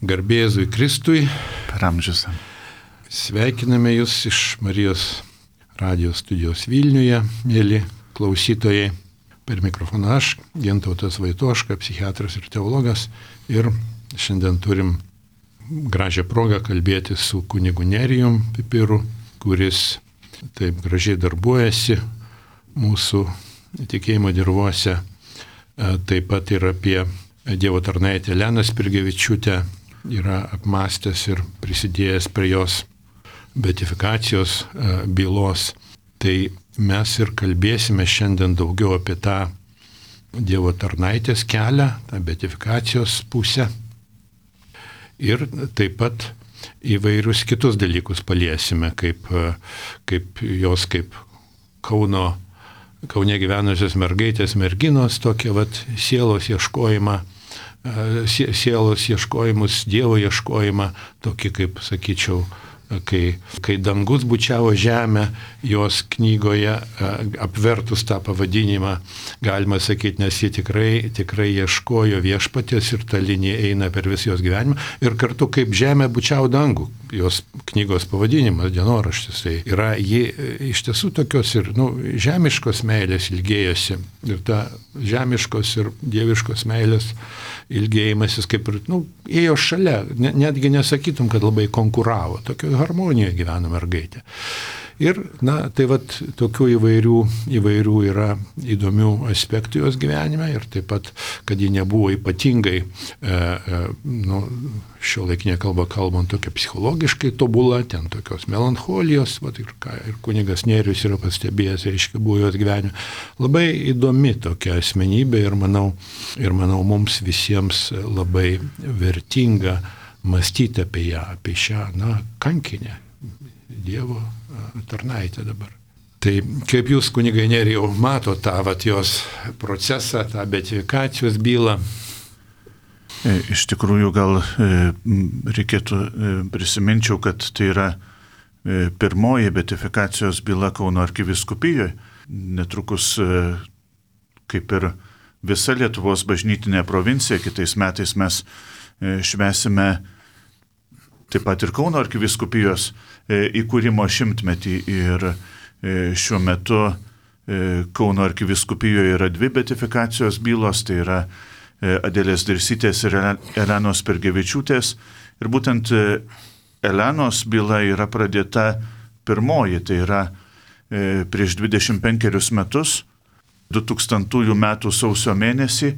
Garbė Jėzui Kristui. Per amžius. Sveikiname Jūs iš Marijos radijos studijos Vilniuje, mėly klausytojai. Per mikrofoną aš, Gintautas Vaitoška, psichiatras ir teologas. Ir šiandien turim gražią progą kalbėti su kunigu Nerijum Pipiru, kuris taip gražiai darbuojasi mūsų tikėjimo dirvose. Taip pat ir apie Dievo tarnaitę Eleną Spirgevičiūtę yra apmąstęs ir prisidėjęs prie jos beatifikacijos bylos. Tai mes ir kalbėsime šiandien daugiau apie tą Dievo tarnaitės kelią, tą beatifikacijos pusę. Ir taip pat įvairius kitus dalykus paliesime, kaip jos kaip Kaune gyvenusios mergaitės, merginos, tokie sielos ieškojimą, sielos ieškojimus, Dievo ieškojimą, tokį kaip, sakyčiau, kai dangus bučiavo žemę, jos knygoje apvertus tą pavadinimą, galima sakyti, nes jie tikrai ieškojo viešpaties ir ta linija eina per visą jos gyvenimą. Ir kartu kaip žemė bučiavo dangų, jos knygos pavadinimas, dienoraštis. Tai yra ji iš tiesų tokios ir žemiškos meilės ilgėjosi. Ir ta žemiškos ir dieviškos meilės ilgėjimasis kaip ir ėjo šalia. Netgi nesakytum, kad labai konkuravo. Tokio harmonijoje gyveno mergaitė. Ir, tai tokių įvairių yra įdomių aspektų jos gyvenime ir taip pat, kad ji nebuvo ypatingai, šiuolaikinė kalba kalbant, tokia psichologiškai tobula, ten tokios melancholijos, ir kunigas Nerijus yra pastebėjęs, reiškia, buvo jos gyvenime. Labai įdomi tokia asmenybė ir manau mums visiems labai vertinga mąstyti apie ją, apie šią, kankinę Dievo tarnaitę dabar. Tai kaip jūs, kunigai Nerijau, mato tą jos procesą, tą beatifikacijos bylą? Iš tikrųjų, gal reikėtų prisiminčiau, kad tai yra pirmoji beatifikacijos byla Kauno arkivyskupijoje. Netrukus, kaip ir visa Lietuvos bažnytinė provincija, kitais metais mes švęsime taip pat ir Kauno arkivyskupijos įkūrimo 100-metį ir šiuo metu Kauno arkivyskupijoje yra 2 beatifikacijos bylos, tai yra Adelės Dirsytės ir Elenos Spirgevičiūtės. Ir būtent Elenos byla yra pradėta pirmoji, tai yra prieš 25 metus, 2000 metų sausio mėnesį.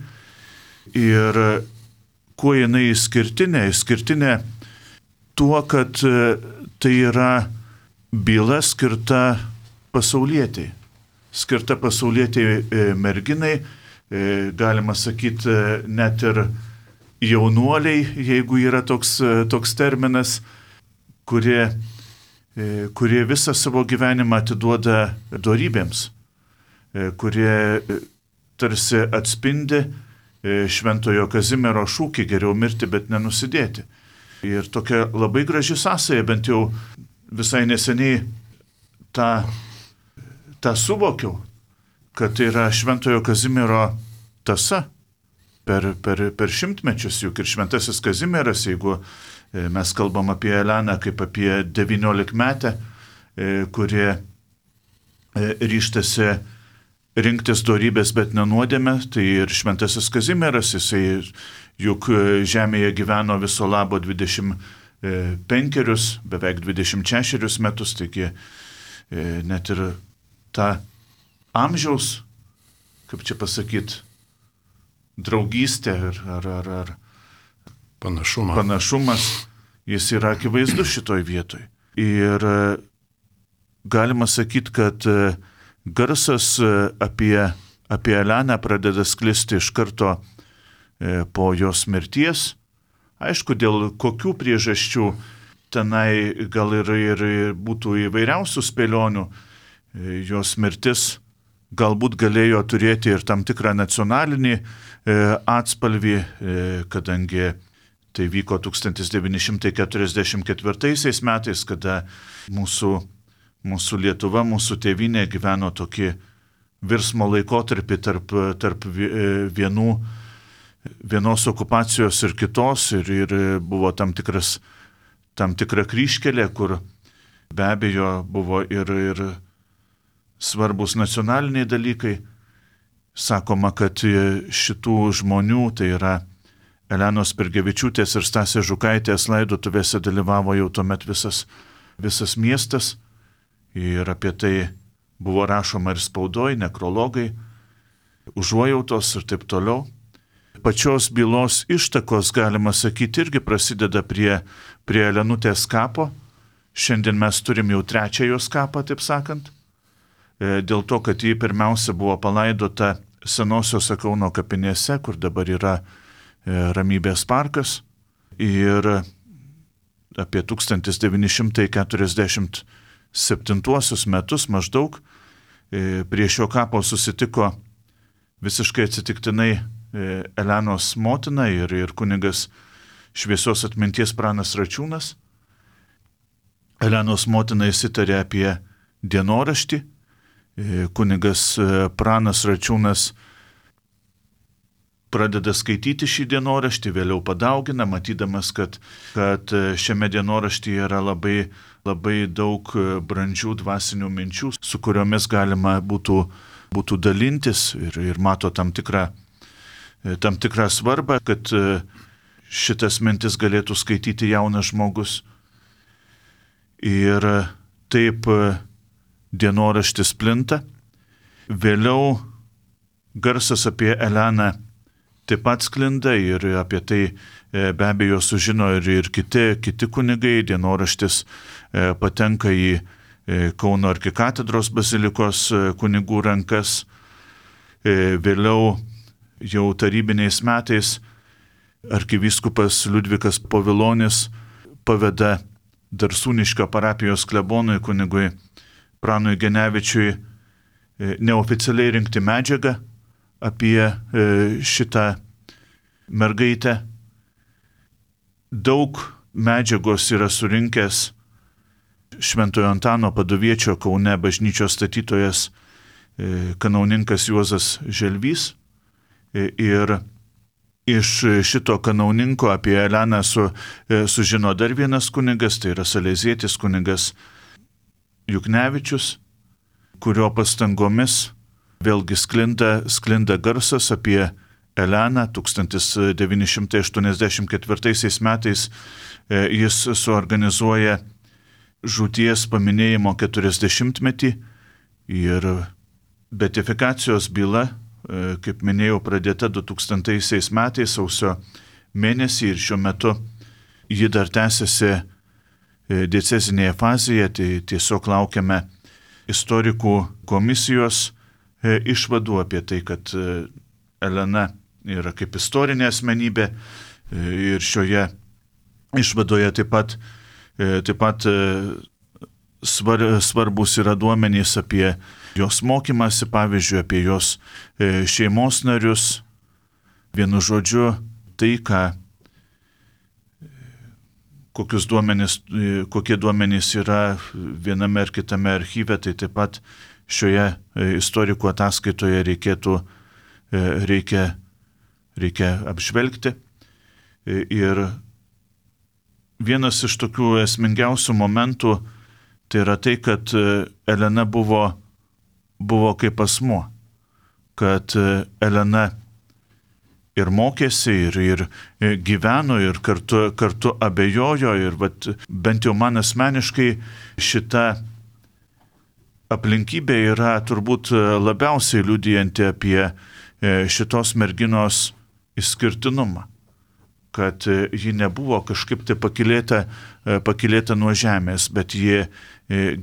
Ir kuo jinai išskirtinė tuo, kad tai yra byla skirta pasaulietei merginai, galima sakyti net ir jaunuoliai, jeigu yra toks terminas, kurie visą savo gyvenimą atiduoda dorybėms, kurie tarsi atspindi Šventojo Kazimiero šūkį geriau mirti, bet nenusidėti. Ir tokia labai graži sąsaja, bent jau visai neseniai tą suvokiau, kad tai yra Šventojo Kazimiero tąsa per 100-mečius, juk ir Šventasis Kazimieras, jeigu mes kalbam apie Eleną kaip apie 19-metę, kurie ryžtasi rinktis dorybės, bet nenuodėmę, tai ir Šventasis Kazimieras, jisai juk žemėje gyveno viso labo 25, beveik 26 metus, taigi net ir ta amžiaus, kaip čia pasakyti, draugystė ar panašumas, jis yra akivaizdus šitoj vietoj. Ir galima sakyti, kad garsas apie Eleną pradeda sklisti iš karto po jos mirties. Aišku, dėl kokių priežasčių tenai gal ir būtų įvairiausių spėlionių. Jos mirtis galbūt galėjo turėti ir tam tikrą nacionalinį atspalvį, kadangi tai vyko 1944 metais, kada mūsų Lietuva, mūsų tėvynė gyveno tokį virsmo laikotarpį tarp vienų vienos okupacijos ir kitos, ir buvo tam tikra kryžkelė, kur be abejo buvo ir svarbus nacionaliniai dalykai. Sakoma, kad šitų žmonių, tai yra Elenos Pergevičiūtės ir Stasės Žukaitės laidotuvėse dalyvavo jau tuomet visas miestas, ir apie tai buvo rašoma ir spaudoj, nekrologai, užuojautos ir taip toliau. Pačios bylos ištakos, galima sakyti, irgi prasideda prie Elenutės kapo. Šiandien mes turim jau 3 jos kapą, taip sakant, dėl to, kad ji pirmiausia buvo palaidota senosios Kauno kapinėse, kur dabar yra Ramybės parkas, ir apie 1947 metus maždaug prie šio kapo susitiko visiškai atsitiktinai Elenos motina ir kunigas šviesios atminties Pranas Račiūnas. Elenos motina įsitarė apie dienoraštį. Kunigas Pranas Račiūnas pradeda skaityti šį dienoraštį, vėliau padaugina, matydamas, kad šiame dienoraštyje yra labai, labai daug brandžių dvasinių minčių, su kuriomis galima būtų dalintis, ir mato tam tikrą svarbą, kad šitas mintis galėtų skaityti jaunas žmogus. Ir taip dienoraštis plinta. Vėliau garsas apie Eleną taip pat sklinda, ir apie tai be abejo sužino ir kiti kunigai. Dienoraštis patenka į Kauno arkikatedros bazilikos kunigų rankas. Vėliau jau tarybiniais metais arkivyskupas Liudvikas Povilonis paveda Darsūniškio parapijos klebonui kunigui Pranui Genevičiui neoficialiai rinkti medžiagą apie šitą mergaitę. Daug medžiagos yra surinkęs Šventojo Antano Paduviečio Kaune bažnyčios statytojas kanauninkas Juozas Želvys. Ir iš šito kanauninko apie Eleną sužino dar vienas kunigas, tai yra salezietis kunigas Juknevičius, kurio pastangomis vėlgi sklinda garsas apie Eleną. 1984 metais jis suorganizuoja žūties paminėjimo 40-metį, ir beatifikacijos byla, kaip minėjau, pradėta 2000 metais sausio mėnesį, ir šiuo metu ji dar tęsiasi diecezinėje fazėje. Tai tiesiog laukiame istorikų komisijos išvadų apie tai, kad Elena yra kaip istorinė asmenybė, ir šioje išvadoje taip pat svarbus yra duomenys apie jos mokymasi, pavyzdžiui, apie jos šeimos narius. Vienu žodžiu, tai, kokie duomenys yra viename ar kitame archyve, tai taip pat šioje istorikų ataskaitoje reikia apžvelgti. Ir vienas iš tokių esmingiausių momentų tai yra tai, kad Elena buvo kaip asmuo, kad Elena ir mokėsi, ir gyveno, ir kartu abejojo, ir bent jau man asmeniškai šita aplinkybė yra turbūt labiausiai liudijanti apie šitos merginos išskirtinumą, kad ji nebuvo kažkaip tai pakylėta nuo žemės, bet ji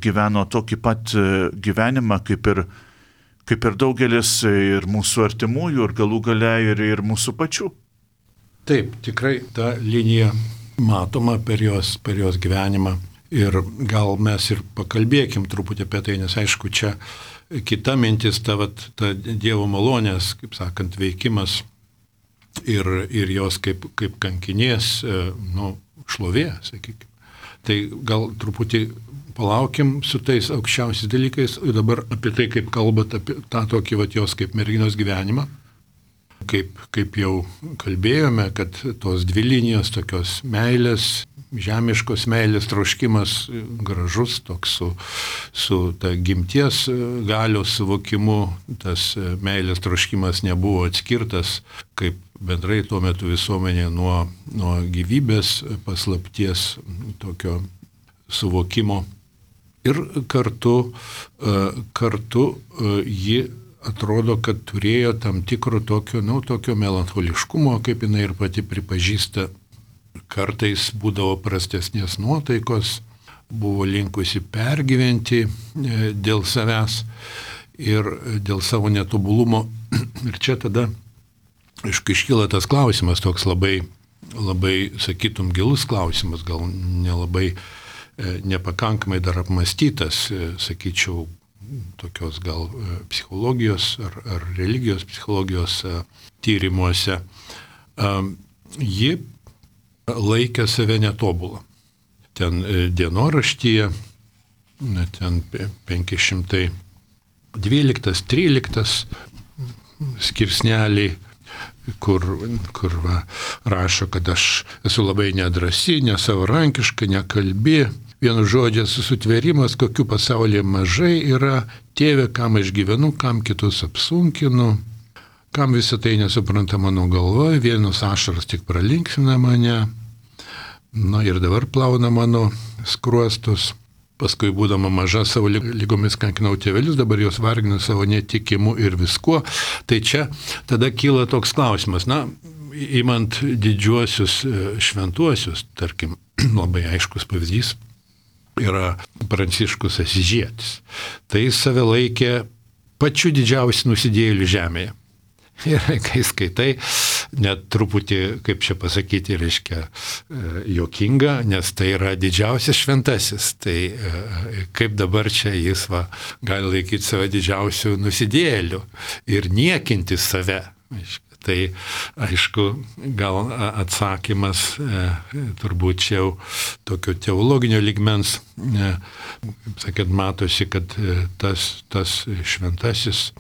gyveno tokį pat gyvenimą kaip ir daugelis ir mūsų artimųjų, ir galų gale ir mūsų pačių. Taip, tikrai ta linija matoma per jos gyvenimą, ir gal mes ir pakalbėkim truputį apie tai, nes aišku, čia kita mintis, ta Dievo malonės, kaip sakant, veikimas ir jos kaip kankinės, šlovė, sakykime. Tai gal truputį palaukim su tais aukščiausiais dalykais, dabar apie tai, kaip kalbat apie tą tokį jos kaip merginos gyvenimą. kaip jau kalbėjome, kad tos dvi linijos tokios meilės, žemiškos meilės troškimas gražus, toks su ta gimties galios suvokimu, tas meilės troškimas nebuvo atskirtas, kaip bendrai tuo metu visuomenė nuo gyvybės paslapties tokio suvokimo. Ir kartu ji atrodo, kad turėjo tam tikro tokio melancholiškumo, kaip jinai ir pati pripažįsta. Kartais būdavo prastesnės nuotaikos, buvo linkusi pergyventi dėl savęs ir dėl savo netobulumo. Ir čia tada, aišku, iškyla tas klausimas, toks labai, sakytum, gilus klausimas, gal nelabai nepakankamai dar apmąstytas, sakyčiau, tokios gal psichologijos ar religijos psichologijos tyrimuose. Ji laikė save netobulą. Ten dienoraštyje, ten 512-13 skirsneliai, kur rašo, kad aš esu labai nedrasi, nesavarankiška, nekalbi. Vienu žodžiu, sutvėrimas, kokių pasaulyje mažai yra, tėve, kam aš gyvenu, kam kitus apsunkinu, kam visą tai nesupranta mano galvoje, vienus ašaras tik pralinksina mane, ir dabar plauna mano skruostus. Paskui, būdama maža, savo lygomis kankinau tėvelius, dabar jos varginu savo netikimu ir viskuo. Tai čia tada kyla toks klausimas, imant didžiuosius šventuosius, tarkim, labai aiškus pavyzdys yra Pranciškus Asyžietis. Tai jis save laikė pačiu didžiausiu nusidėjėliu žemėje. Ir kai skaitai, net truputį, kaip čia pasakyti, reiškia, juokinga, nes tai yra didžiausias šventasis. Tai kaip dabar čia jis gali laikyti save didžiausiu nusidėjėliu ir niekinti save. Tai aišku, gal atsakymas turbūt čia jau tokio teologinio lygmens, sakėt, matosi, kad tas šventasis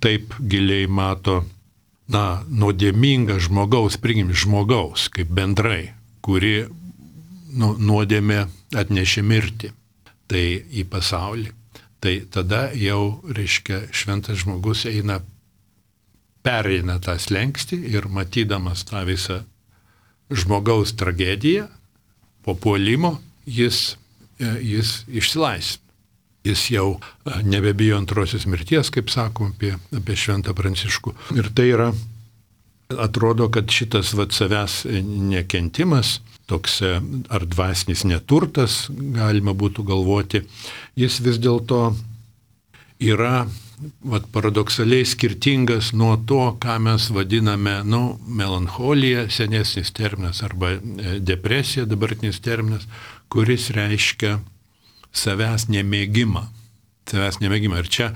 taip giliai mato, nuodėmingą žmogaus, žmogaus kaip bendrai, kuri nuodėmė atnešė mirtį į pasaulį. Tai tada jau, reiškia, šventas žmogus pereina tą slenkstį ir matydamas tą visą žmogaus tragediją, po puolimo, jis išsilaisvina. Jis jau nebebijo antrosios mirties, kaip sakom apie šventą Pranciškų. Ir tai yra, atrodo, kad šitas savęs nekentimas, toks ar dvasinis neturtas, galima būtų galvoti, jis vis dėlto yra paradoksaliai skirtingas nuo to, ką mes vadiname, melancholija, senesnis terminas, arba depresija, dabartinis terminas, kuris reiškia savęs nemėgimą. Ir čia,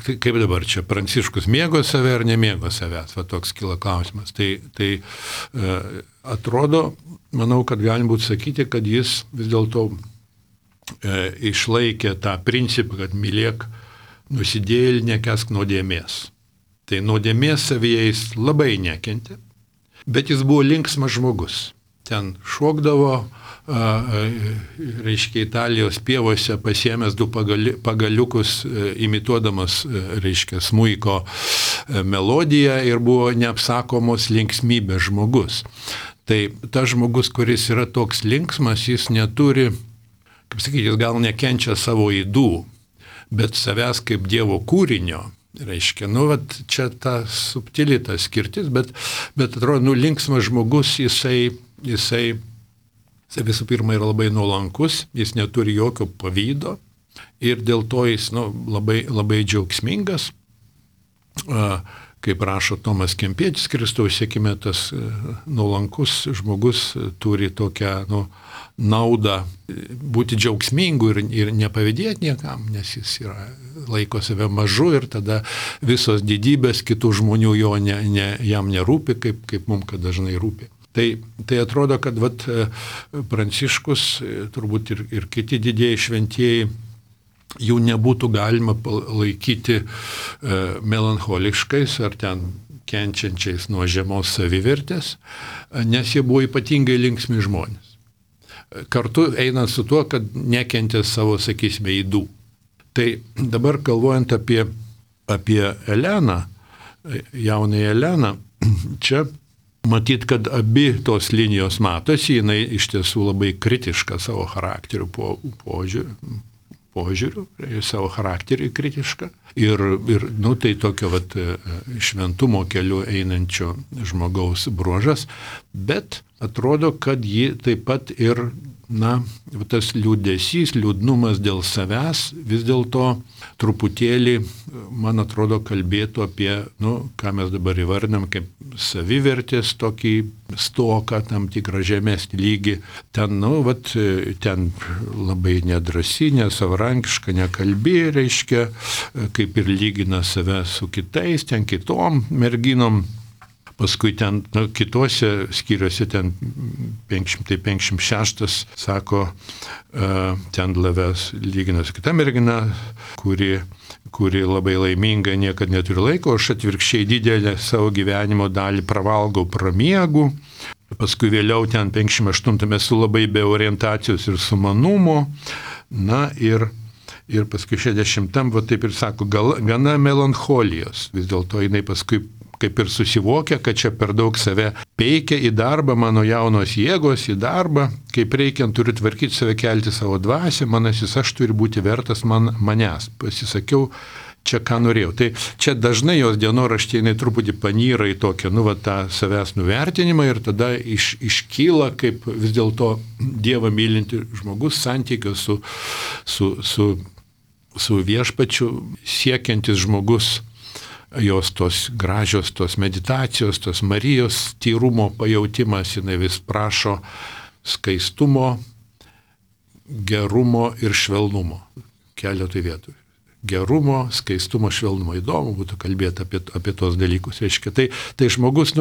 kaip dabar čia, Pranciškus mėgo save ar nemėgo savęs? Toks kyla klausimas. Tai atrodo, manau, kad galim būtų sakyti, kad jis vis dėlto išlaikė tą principą, kad mylėk nusidėjėlį, nekęsk nuodėmės. Tai nuodėmės savyje jis labai nekentė, bet jis buvo linksmas žmogus. Ten šokdavo, reiškia, Italijos pievose pasiėmęs du pagaliukus, imituodamas, reiškia, smuiko melodiją ir buvo neapsakomos linksmybės žmogus. Tai tas žmogus, kuris yra toks linksmas, jis neturi, kaip sakyti, jis gal nekenčia savo ydų, bet savęs kaip Dievo kūrinio, reiškia, čia ta subtili ta skirtis, bet atrodo, linksmas žmogus, jisai visų pirma yra labai nuolankus, jis neturi jokio pavydo ir dėl to jis labai, labai džiaugsmingas. Kaip rašo Tomas Kempietis, Kristaus sekime, tas nuolankus žmogus turi tokią naudą būti džiaugsmingu ir nepavydėti niekam, nes jis laiko save mažu ir tada visos didybės kitų žmonių jam nerūpi, kaip mums kad dažnai rūpi. Tai atrodo, kad Pranciškus, turbūt ir kiti didieji šventieji jų nebūtų galima laikyti melancholiškais ar ten kenčiančiais nuo žemos savivertės, nes jie buvo ypatingai linksmi žmonės. Kartu einant su tuo, kad nekentė savo, sakysime, ydų. Tai dabar galvojant apie Eleną, jaunąją Eleną, čia matyt, kad abi tos linijos matosi, jinai iš tiesų labai kritiška savo charakteriu požiūriu, savo charakterį kritišką. Ir tai tokio šventumo keliu einančio žmogaus bruožas, bet atrodo, kad ji taip pat ir, tas liūdesys, liūdnumas dėl savęs vis dėlto truputėlį, man atrodo, kalbėtų apie, ką mes dabar įvardinam, kaip savivertės tokį stoką, tam tikrą žemesnį lygį. Ten, ten labai nedrasi, nesavarankiška, nekalbi, reiškia, kaip ir lygina save su kitais, ten kitom merginom. Paskui ten, kitose skyriuose, ten 556, sako, ten Lavės lygina su kita mergina, kuri labai laiminga, niekad neturi laiko, aš atvirkščiai didelę savo gyvenimo dalį pravalgau, pramiegu. Paskui vėliau ten 58 esu labai be orientacijos ir sumanumo. Ir paskui 60, taip ir sako, gana melancholijos. Vis dėlto jinai paskui kaip ir susivokia, kad čia per daug save peikia į darbą, mano jaunos jėgos į darbą, kaip reikiant turiu tvarkyti save, kelti savo dvasią, manasis aš turi būti vertas manęs. Pasisakiau, čia ką norėjau. Tai čia dažnai jos dienoraštyje jinai truputį panyra į tokią, tą savęs nuvertinimą ir tada iškyla kaip vis dėlto Dievą mylinti žmogus santykio su viešpačiu siekiantis žmogus. Jos tos gražios, tos meditacijos, tos Marijos tyrumo pajautimas, jinai vis prašo skaistumo, gerumo ir švelnumo. Keletui vietų. Gerumo, skaistumo, švelnumo. Įdomu būtų kalbėti apie tos dalykus. Reiškia, tai žmogus,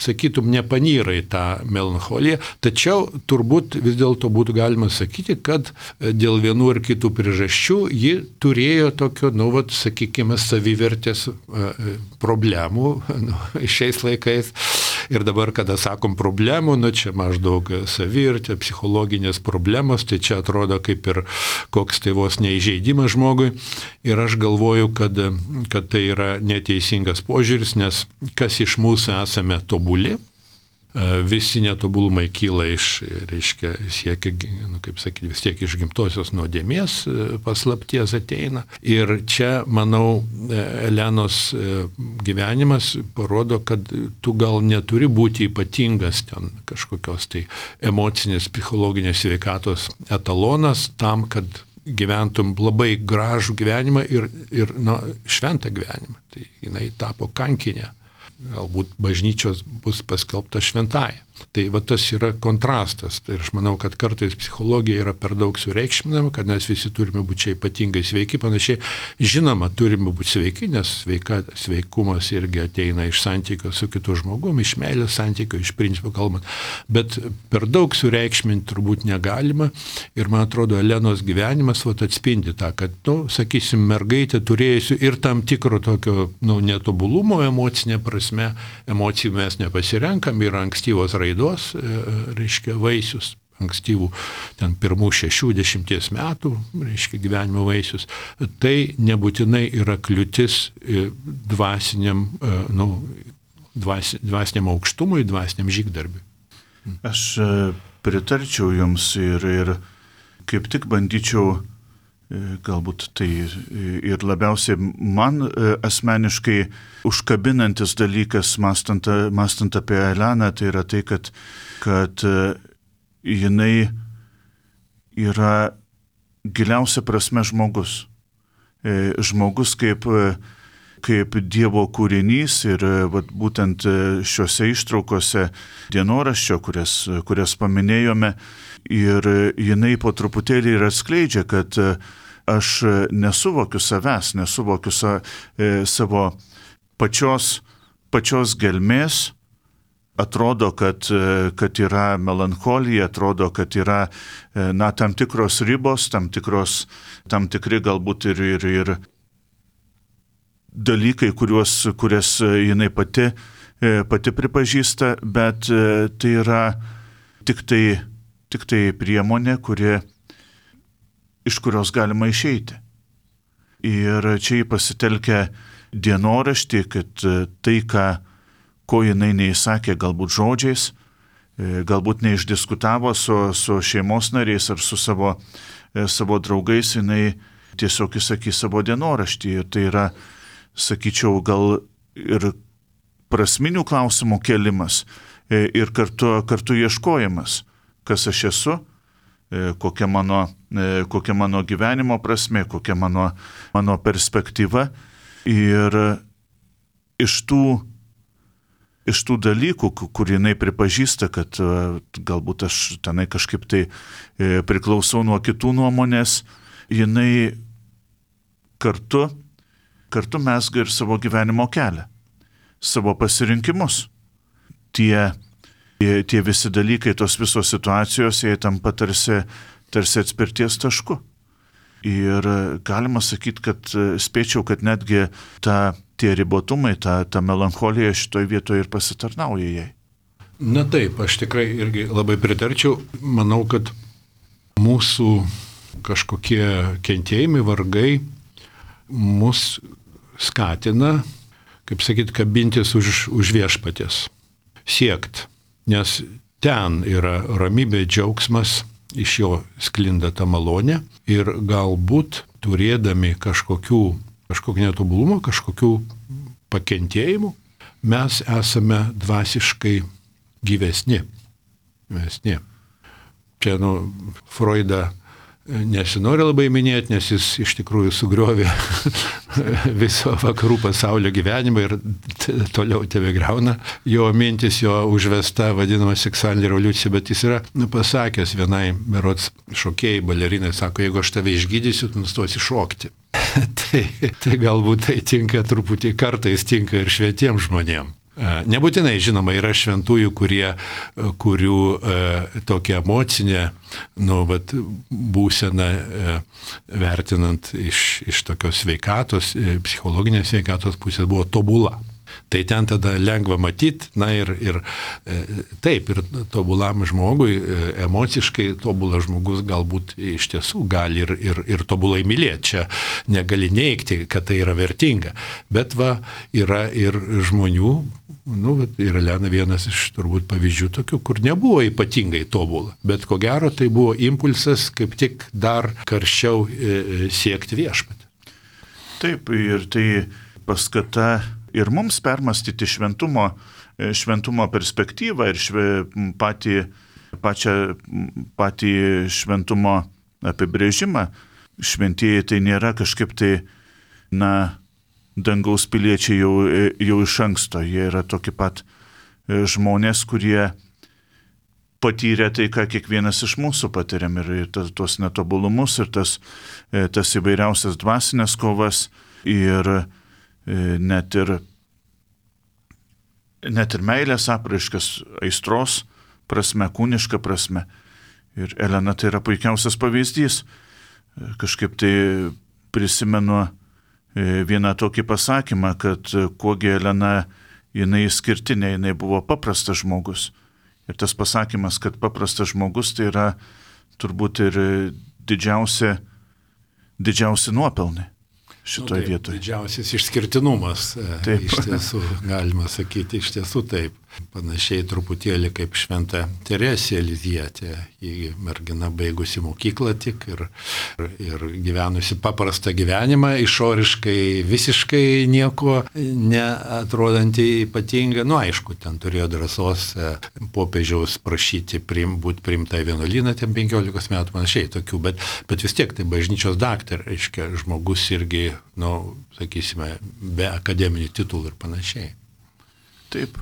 sakytum, nepanyra į tą melancholiją, tačiau turbūt vis dėlto būtų galima sakyti, kad dėl vienų ar kitų priežasčių ji turėjo tokio, sakykime, savivertės problemų šiais laikais. Ir dabar, kada sakom problemų, čia maždaug savivertė, psichologinės problemos, tai čia atrodo kaip ir koks tai vos neįžeidimas žmogui. Ir aš galvoju, kad tai yra neteisingas požiūris, nes kas iš mūsų esame tobuli, visi netobulumai kyla iš, reiškia, siekia, kaip sakyti, vis tiek iš gimtosios nuodėmės paslapties ateina. Ir čia, manau, Elenos gyvenimas parodo, kad tu gal neturi būti ypatingas ten kažkokios tai emocinės, psichologinės sveikatos etalonas tam, kad gyventum labai gražų gyvenimą ir šventą gyvenimą. Tai jinai tapo kankinė. Galbūt bažnyčios bus paskelbta šventąja. Tai tas yra kontrastas. Tai aš manau, kad kartais psichologija yra per daug sureikšminama, kad mes visi turime būti čia ypatingai sveiki, panašiai. Žinoma, turime būti sveiki, nes sveikumas irgi ateina iš santykio su kitu žmogumi, iš meilės santykio, iš principo kalbant. Bet per daug sureikšminti turbūt negalima. Ir man atrodo, Elenos gyvenimas atspindi tą, kad, sakysim, mergaitė turėjusi ir tam tikro tokio netobulumo emocinė prasme, emocijų mes nepasirenkam, yra ankstyvos raidos, reiškia, vaisius, ankstyvų, ten pirmų 6-10 metų, reiškia, gyvenimo vaisius. Tai nebūtinai yra kliūtis dvasiniam aukštumui, dvasiniam žygdarbiui. Aš pritarčiau jums ir kaip tik bandyčiau, galbūt tai ir labiausiai man asmeniškai užkabinantis dalykas, mąstant apie Eleną, tai yra tai, kad jinai yra giliausia prasme žmogus. Žmogus kaip Dievo kūrinys ir būtent šiuose ištraukose dienoraščio, kurias paminėjome, ir jinai po truputėlį ir atskleidžia, kad aš nesuvokiu savęs, nesuvokiu savo pačios gelmės, atrodo, kad yra melancholija, atrodo, kad yra tam tikros ribos, tam tikri galbūt ir dalykai, kurias jinai pati pripažįsta, bet tai yra tik tai priemonė, iš kurios galima išeiti. Ir čia jį pasitelkia dienoraštį, kad tai, ko jinai neįsakė galbūt žodžiais, galbūt neišdiskutavo su šeimos nariais ar su savo draugais, jinai tiesiog įsakys savo dienoraštį. Ir tai yra, sakyčiau, gal ir prasminių klausimų kelimas ir kartu ieškojimas, kas aš esu, kokia mano gyvenimo prasmė, kokia mano perspektyva. Ir iš tų dalykų, kur jinai pripažįsta, kad galbūt aš tenai kažkaip tai priklausau nuo kitų nuomonės, jinai kartu mesga ir savo gyvenimo kelią, savo pasirinkimus. Tie visi dalykai, tos visos situacijos, jie tampa tarsi atspirties tašku. Ir galima sakyti, kad spėčiau, kad netgi tie ribotumai, ta melancholija šitoj vietoje ir pasitarnauja jai. Na taip, aš tikrai irgi labai pritarčiau. Manau, kad mūsų kažkokie kentėjimai, vargai mus skatina, kaip sakyt, kabintis už viešpaties, siekt. Nes ten yra ramybė, džiaugsmas, iš jo sklinda ta malonė ir galbūt turėdami kažkokių netobulumų, kažkokių pakentėjimų, mes esame dvasiškai gyvesni. Čia, Freudą nesinori labai minėti, nes jis iš tikrųjų sugriovė viso vakarų pasaulio gyvenimą ir toliau tebegriauna jo mintis, jo užvesta vadinama seksualinė revoliucija, bet jis yra pasakęs vienai berods šokėjai, balerinai, sako, jeigu aš tave išgydysiu, tu nustosi šokti. tai galbūt tai tinka truputį, kartais tinka ir švietiems žmonėms. Nebūtinai, žinoma, yra šventųjų, kurių tokia emocinė būsena, vertinant iš tokios sveikatos, psichologinės sveikatos pusės, buvo tobula. Tai ten tada lengva matyti, ir taip, ir tobulam žmogui, emociškai tobulas žmogus galbūt iš tiesų gali ir tobulai mylėti. Čia negali neigti, kad tai yra vertinga. Bet yra ir žmonių, ir Elena vienas iš turbūt pavyzdžių tokių, kur nebuvo ypatingai tobula. Bet ko gero tai buvo impulsas kaip tik dar karščiau siekti viešpatį. Taip, ir tai paskata ir mums permastyti šventumo perspektyvą ir patį šventumo apibrėžimą. Šventieji tai nėra kažkaip tai, dangaus piliečiai jau iš anksto. Jie yra tokie pat žmonės, kurie patyrė tai, ką kiekvienas iš mūsų patiriam. Ir tuos netobulumus, ir tas įvairiausias dvasinės kovas, ir net ir meilės apraiškas, aistros prasme, kūniška prasme. Ir Elena tai yra puikiausias pavyzdys. Kažkaip tai prisimenu vieną tokį pasakymą, kad kuogi Elena, jinai išskirtinė, jinai buvo paprastas žmogus. Ir tas pasakymas, kad paprastas žmogus, tai yra turbūt ir didžiausi nuopelnai šitoje vietoje. Didžiausias išskirtinumas, iš tiesų, galima sakyti, iš tiesų taip. Panašiai truputėlį kaip šventa Teresė Lizietė, ji mergina baigusi mokyklą tik ir gyvenusi paprastą gyvenimą, išoriškai visiškai nieko neatrodantį ypatingą. Aišku, ten turėjo drąsos popiežiaus prašyti būti priimta į vienuolyną, ten 15 metų panašiai tokių, bet vis tiek tai bažnyčios daktarė, reiškia, žmogus irgi, sakysime, be akademinių titulų ir panašiai. Taip.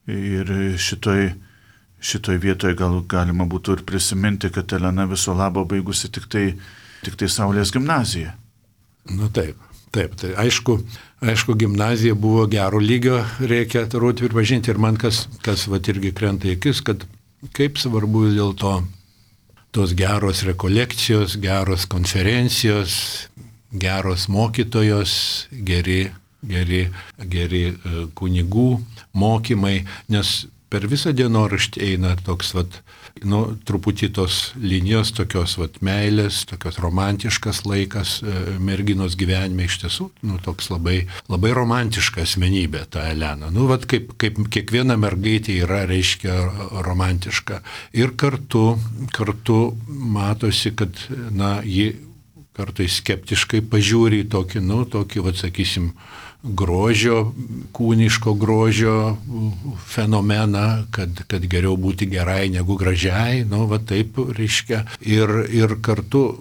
Ir šitoj vietoje galima būtų ir prisiminti, kad Elena viso labo baigusi tik tai Saulės gimnaziją. Taip. Taip, tai aišku, gimnazija buvo gero lygio, reikia turbūt pripažinti, ir man kas vat irgi krenta į akis, kad kaip svarbu vis dėlto tos geros rekolekcijos, geros konferencijos, geros mokytojos, geri kunigų mokymai, nes per visą dienoraštį eina toks truputį tos linijos, tokios meilės, tokios romantiškas laikas merginos gyvenime, iš tiesų, toks labai romantiška asmenybė ta Elena. Kaip kiekviena mergaitė yra, reiškia, romantiška. Ir kartu matosi, kad, ji kartais skeptiškai pažiūri į tokį, sakysim, grožio, kūniško grožio fenomeną, kad geriau būti gerai negu gražiai, taip reiškia. Ir kartu,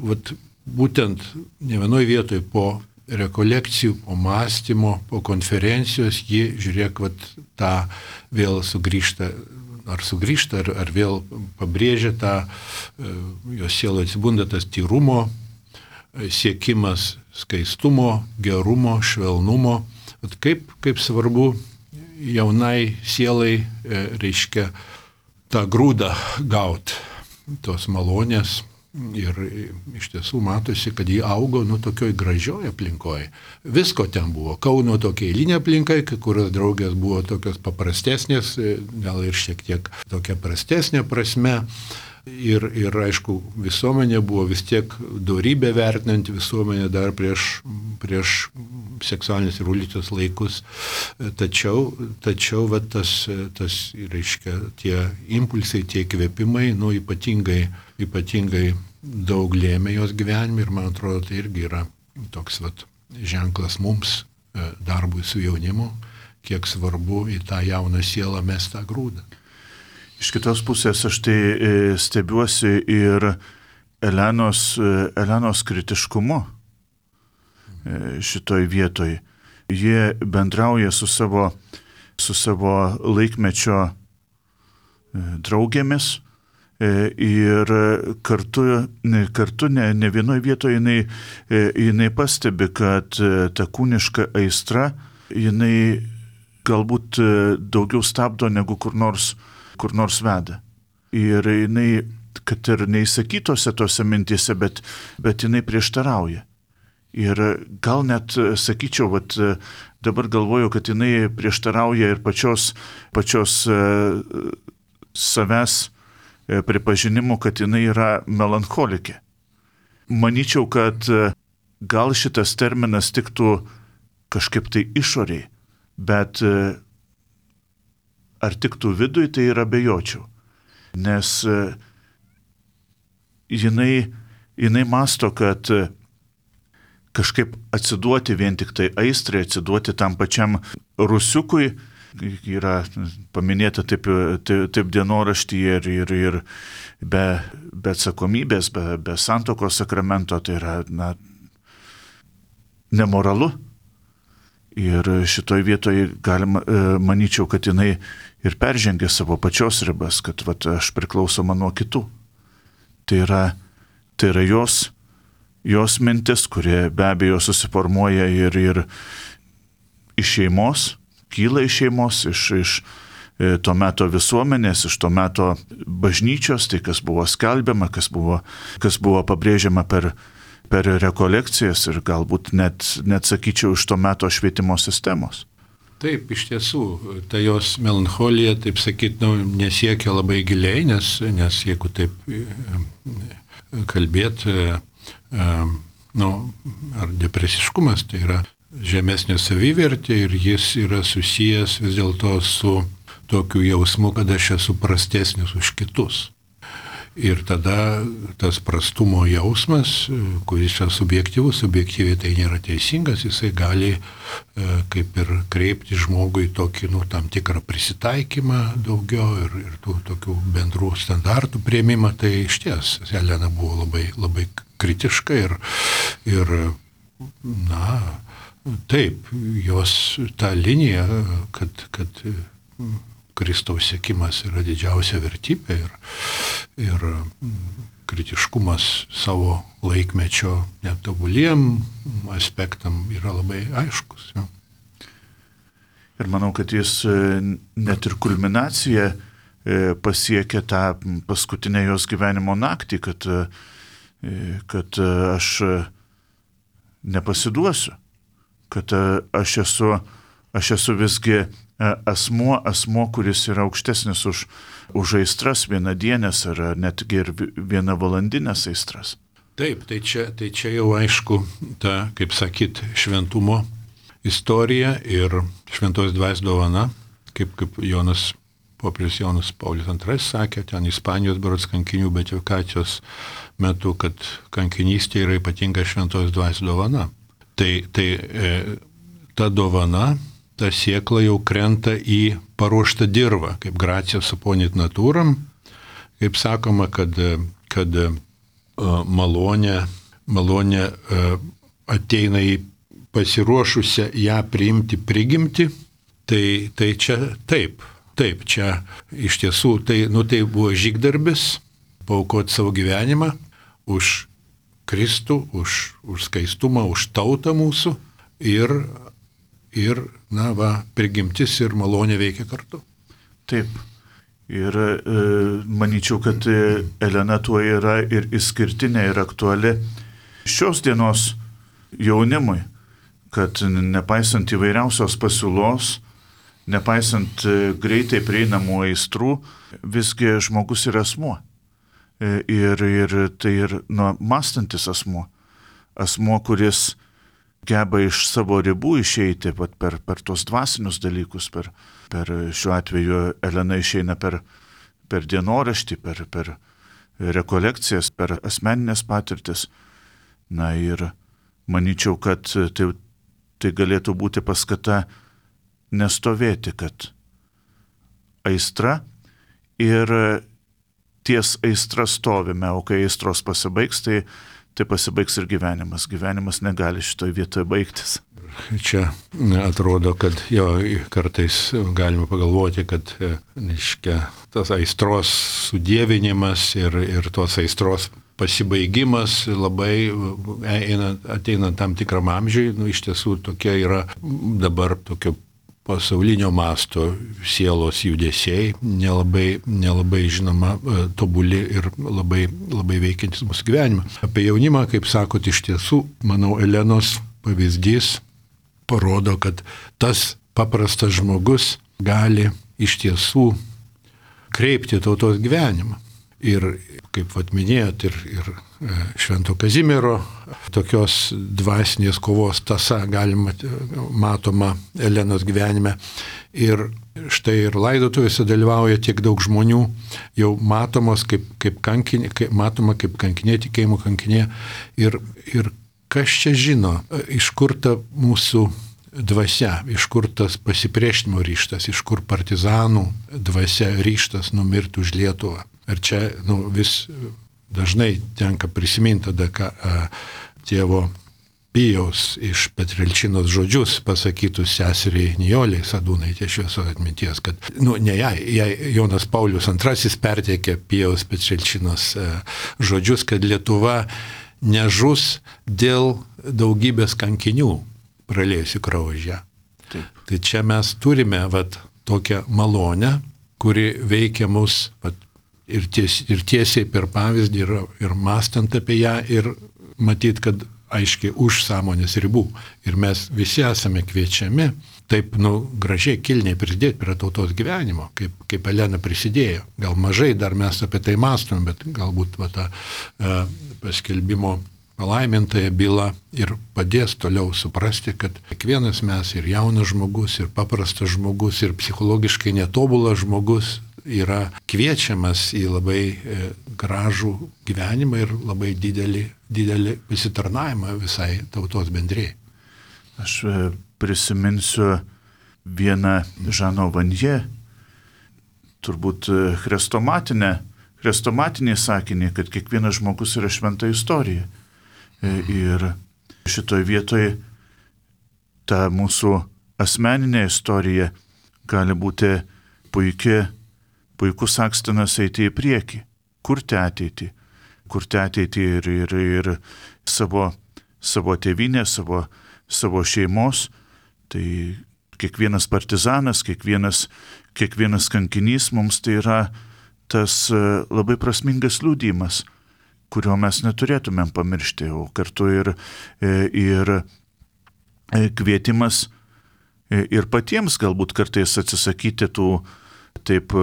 būtent ne vienoj vietoj po rekolekcijų, po mąstymo, po konferencijos, ji, žiūrėk, tą vėl sugrįžta, ar vėl pabrėžia tą, jos sielo atsibunda tas tyrumo, siekimas skaistumo, gerumo, švelnumo. Kaip svarbu jaunai sielai, reiškia, tą grūdą gauti, tos malonės. Ir iš tiesų matosi, kad jį augo tokioj gražioj aplinkoje. Visko ten buvo. Kauno tokia eilinė aplinka, kai kurios draugės buvo tokios paprastesnės, gal ir šiek tiek tokia prastesnė prasme. Ir aišku, visuomenė buvo vis tiek dorybę vertinanti visuomenė dar prieš seksualinės revoliucijos laikus. Tačiau tas, reiškia, tie impulsai, tie įkvėpimai, ypatingai daug lėmė jos gyvenime, ir man atrodo, tai irgi yra toks ženklas mums, darbui su jaunimu, kiek svarbu į tą jauną sielą mest tą grūdą. Iš kitos pusės aš tai stebiuosi ir Elenos kritiškumu šitoj vietoj. Jie bendrauja su savo laikmečio draugėmis ir kartu ne vienoje vietoje jinai pastebi, kad ta kūniška aistra, jinai galbūt daugiau stabdo negu kur nors veda. Ir jinai, kad ir neįsakytose tose mintise, bet jinai prieštarauja. Ir gal net, sakyčiau, dabar galvoju, kad jinai prieštarauja ir pačios savęs pripažinimu, kad jinai yra melancholikė. Manyčiau, kad gal šitas terminas tiktų kažkaip tai išoriai, bet ar tiktų vidui, tai yra abejočiau. Nes jinai mąsto, kad kažkaip atsiduoti vien tik tai aistrai, atsiduoti tam pačiam rusiukui, yra paminėta taip dienoraštyje ir be atsakomybės, be santuokos sakramento, tai yra nemoralu. Ir šitoj vietoje galima, manyčiau, kad jinai ir peržengė savo pačios ribas, kad aš priklausoma nuo kitų. Tai yra jos mintis, kurie be abejo susiformuoja ir iš šeimos, kyla iš šeimos, iš to meto visuomenės, iš to meto bažnyčios, tai kas buvo skelbiama, kas buvo pabrėžiama per rekolekcijas ir galbūt net sakyčiau iš to meto švietimo sistemos. Taip, iš tiesų, ta jos melancholija, taip sakyt, nesiekia labai giliai, nes jeigu taip kalbėti, ar depresiškumas, tai yra žemesnė savivertė ir jis yra susijęs vis dėlto su tokiu jausmu, kad aš esu prastesnis už kitus. Ir tada tas prastumo jausmas, kuris yra subjektyviai tai nėra teisingas, jisai gali kaip ir kreipti žmogui tokį, tam tikrą prisitaikymą daugiau ir tų tokių bendrų standartų priėmimą. Tai išties, Elena buvo labai, labai kritiška ir taip, jos ta linija, kad Kristaus sekimas yra didžiausia vertybė ir kritiškumas savo laikmečio netobuliem aspektam yra labai aiškus. Jo. Ir manau, kad jis net ir kulminaciją pasiekė tą paskutinę jos gyvenimo naktį, kad aš nepasiduosiu, kad aš esu visgi asmuo, kuris yra aukštesnis už aistras vienadienės ar netgi ir vienavalandinės aistras. Taip, tai čia jau aišku ta, kaip sakyt, šventumo istorija ir šventos dvasios dovana, kaip popiežius Jonas Paulius II sakė, ten Ispanijos berods kankinių beatifikacijos metu, kad kankinystė yra ypatinga šventos dvasios dovana. Tai ta dovana, ta siekla jau krenta į paruoštą dirvą, kaip gracija suponit natūram, kaip sakoma, kad malonė ateina į pasiruošusią ją priimti prigimti, tai čia taip, čia iš tiesų tai buvo žygdarbis, paaukoti savo gyvenimą už Kristų, už skaistumą, už tautą mūsų ir prigimtis ir malonė veikia kartu. Taip. Ir manyčiau, kad Elena tuo yra ir išskirtinė ir aktuali šios dienos jaunimui, kad nepaisant įvairiausios pasiūlos, nepaisant greitai prieinamų aistrų, visgi žmogus yra asmuo. Ir tai ir mąstantis asmuo, kuris geba iš savo ribų išeiti per tos dvasinius dalykus, per šiuo atveju Elena išeina per dienoraštį, per rekolekcijas, per asmeninės patirtis. Na ir manyčiau, kad tai galėtų būti paskata nestovėti, kad aistra ir ties aistra stovime, o kai aistros pasibaigs, tai pasibaigs ir gyvenimas. Gyvenimas negali šitoje vietoje baigtis. Čia atrodo, kad kartais galima pagalvoti, kad tas aistros sudievinimas ir tos aistros pasibaigimas labai ateina tam tikram amžiui, iš tiesų tokia yra dabar tokio pasaulinio masto sielos judesiai, nelabai žinoma, tobuli ir labai veikiantis mūsų gyvenimą. Apie jaunimą, kaip sakot, iš tiesų, manau, Elenos pavyzdys parodo, kad tas paprastas žmogus gali iš tiesų kreipti tautos gyvenimą. Ir, kaip minėjot, ir Švento Kazimiero tokios dvasinės kovos tąsa matoma Elenos gyvenime. Ir štai ir laidotuvėse dalyvauja tiek daug žmonių, jau matomos kaip kankinė, tikėjimo kankinė. Ir kas čia žino, iš kur ta mūsų dvasia, iš kur tas pasipriešinimo ryžtas, iš kur partizanų dvasia ryžtas numirti už Lietuvą. Ir čia vis dažnai tenka prisiminti tada, tėvo Pijaus iš Petrilčinos žodžius pasakytus seseriai Nijoliai Sadūnaitė šviesos atminties, kad ne jai Jonas Paulius II perteikė Pijaus Petrilčinos žodžius, kad Lietuva nežus dėl daugybės kankinių pralėjusių kraują. Tai čia mes turime tokią malonę, kuri veikia mus ir tiesiai per pavyzdį ir mąstant apie ją ir matyt, kad aiškiai už sąmonės ribų. Ir mes visi esame kviečiami taip gražiai kilniai prisidėti prie tautos gyvenimo, kaip Elena prisidėjo. Gal mažai dar mes apie tai mąstom, bet galbūt ta paskelbimo palaimintąją bylą ir padės toliau suprasti, kad kiekvienas mes ir jaunas žmogus, ir paprastas žmogus, ir psichologiškai netobulas žmogus yra kviečiamas į labai gražų gyvenimą ir labai didelį pasitarnavimą visai tautos bendrijai. Aš prisiminsiu vieną Žano Vanje, turbūt chrestomatinį sakinį, kad kiekvienas žmogus yra šventa istorija. Ir šitoje vietoje ta mūsų asmeninė istorija gali būti puikus akstinas eiti į priekį, kurti ateitį. kurti ateitį ir savo tėvynę, savo šeimos. Tai kiekvienas partizanas, kiekvienas kankinys mums tai yra tas labai prasmingas liudijimas, kurio mes neturėtumėm pamiršti, o kartu ir kvietimas ir patiems galbūt kartais atsisakyti tų taip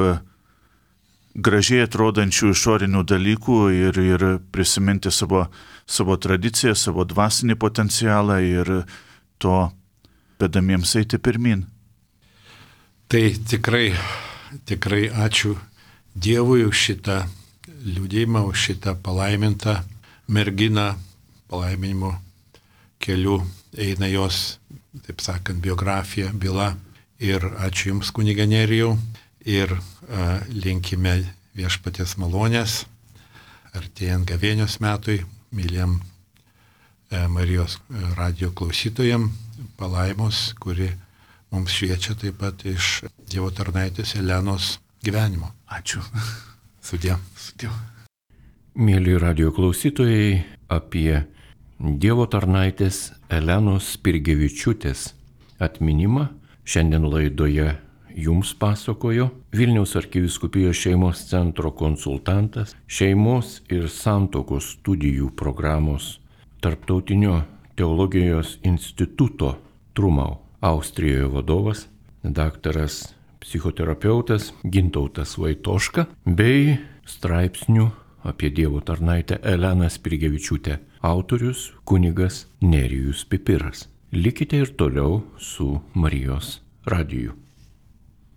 gražiai atrodančių išorinių dalykų ir prisiminti savo tradiciją, savo dvasinį potencialą ir to vedamiems eiti pirmin. Tai tikrai ačiū Dievui už šitą liudijimą, už šitą palaimintą merginą, palaiminimo keliu eina jos, taip sakant, biografija, byla. Ir ačiū Jums, kunige Nerijau. Ir linkime viešpaties malonės, artėjant gavėnios metui, myliem Marijos radijo klausytojam, palaimos, kuri mums šviečia taip pat iš Dievo tarnaitės Elenos gyvenimo. Ačiū. Sudie. Mėly radijo klausytojai, apie Dievo tarnaitės Elenos Spirgevičiūtės atminimą šiandien laidoje Jums pasakojo Vilniaus arkivyskupijos šeimos centro konsultantas, šeimos ir santuokos studijų programos Tarptautinio teologijos instituto Trumau Austrijoje vadovas, daktaras psichoterapeutas Gintautas Vaitoška bei straipsnių apie Dievo tarnaitę Eleną Spirgevičiūtę autorius kunigas Nerijus Pipiras. Likite ir toliau su Marijos radiju.